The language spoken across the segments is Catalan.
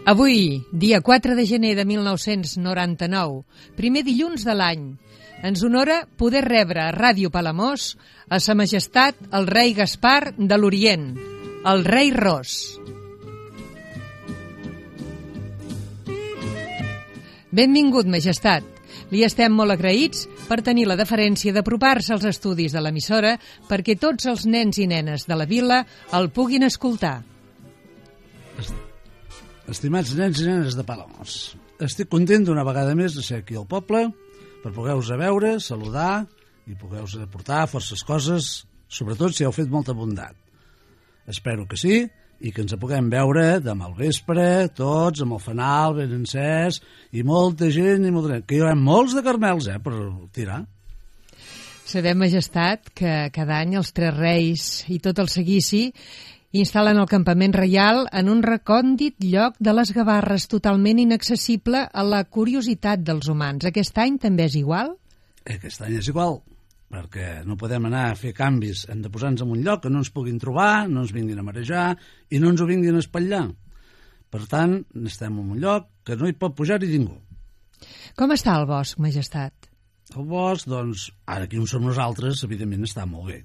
Avui, dia 4 de gener de 1999, primer dilluns de l'any, ens honora poder rebre a Ràdio Palamós a Sa Majestat el rei Gaspar de l'Orient, el rei Ros. Benvingut, Majestat. Li estem molt agraïts per tenir la deferència d'apropar-se als estudis de l'emissora perquè tots els nens i nenes de la vila el puguin escoltar. Estimats nens i nenes de Palamós, estic content d'una vegada més de ser aquí al poble per poder-vos veure, saludar i poder-vos aportar forces coses, sobretot si heu fet molta bondat. Espero que sí i que ens puguem veure demà al vespre, tots amb el fanal ben encès i molta gent i molta gent. Que hi haurà molts de carmels, per tirar. Sabem, Majestat, que cada any els tres reis i tot el seguici instal·len el campament reial en un recòndit lloc de les Gavarres totalment inaccessible a la curiositat dels humans. Aquest any també és igual? Aquest any és igual, perquè no podem anar a fer canvis. Hem de posar-nos en un lloc que no ens puguin trobar, no ens vinguin a marejar i no ens ho vinguin a espatllar. Per tant, estem en un lloc que no hi pot pujar-hi ningú. Com està el bosc, Majestat? El bosc, doncs, ara aquí on som nosaltres, evidentment està molt bé.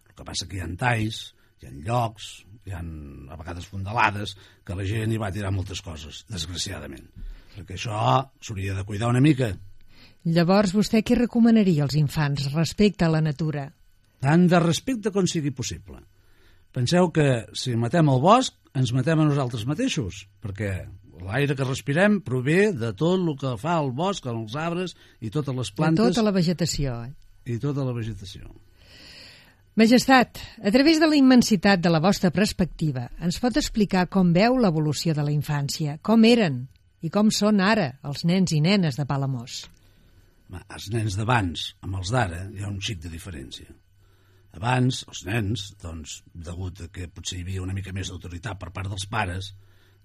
El que passa que hi ha talls, hi ha llocs, hi ha a vegades fondalades, que la gent hi va tirar moltes coses, desgraciadament. Perquè això s'hauria de cuidar una mica. Llavors, vostè què recomanaria als infants respecte a la natura? Tant de respecte com sigui possible. Penseu que si matem el bosc, ens matem a nosaltres mateixos, perquè l'aire que respirem prové de tot el que fa el bosc, els arbres i totes les plantes. De tota la vegetació. I tota la vegetació. Majestat, a través de la immensitat de la vostra perspectiva, ens pot explicar com veu l'evolució de la infància, com eren i com són ara els nens i nenes de Palamós? Els nens d'abans, amb els d'ara, hi ha un xic de diferència. Abans, els nens, doncs, degut a que potser hi havia una mica més d'autoritat per part dels pares,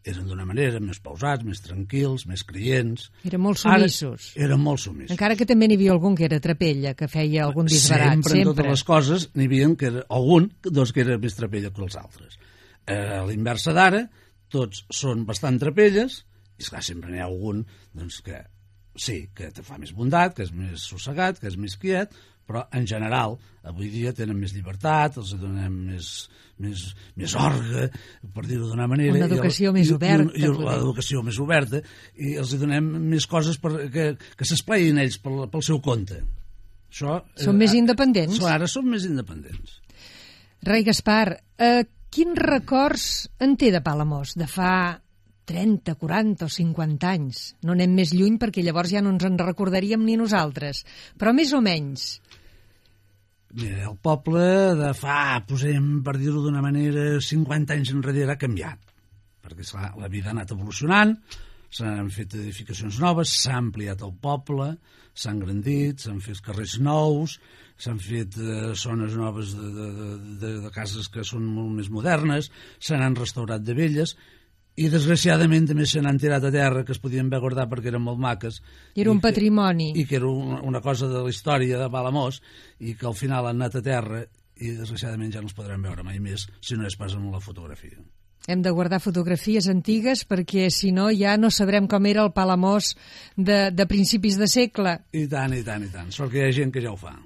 eren d'una manera més pausats, més tranquils, més creients. Eren molt sumissos. Ara, eren molt sumissos. Encara que també n'hi havia algun que era trapella, que feia algun disbarat. Sempre, en totes les coses, n'hi havia que era, algun doncs, que era més trapella que els altres. A l'inversa d'ara, tots són bastant trapelles, i esclar, sempre n'hi ha algun doncs, que sí, que te fa més bondat, que és més sossegat, que és més quiet, però en general avui dia tenen més llibertat, els donem més orga, per dir-ho d'una manera. Una educació més oberta. I l'educació més oberta, i els donem més coses que s'esplaïn ells pel seu compte. Són més independents? Ara són més independents. Rei Gaspar, quins records en té de Palamós, de fa 30, 40 o 50 anys? No anem més lluny perquè llavors ja no ens en recordaríem ni nosaltres, però més o menys. Mira, el poble de fa, posem, per dir-ho d'una manera, 50 anys enrere ha canviat, perquè esclar, la vida ha anat evolucionant, s'han fet edificacions noves, s'ha ampliat el poble, s'ha engrandit, s'han fet carrers nous, s'han fet zones noves de cases que són molt més modernes, se n'han restaurat de velles, i desgraciadament també se n'han tirat a terra que es podien haver guardat perquè eren molt maques. Era un patrimoni. I que era una cosa de la història de Palamós i que al final han anat a terra i desgraciadament ja no es podran veure mai més si no és pas en la fotografia. Hem de guardar fotografies antigues perquè si no ja no sabrem com era el Palamós de principis de segle. I tant, i tant, i tant. Sort que hi ha gent que ja ho fa.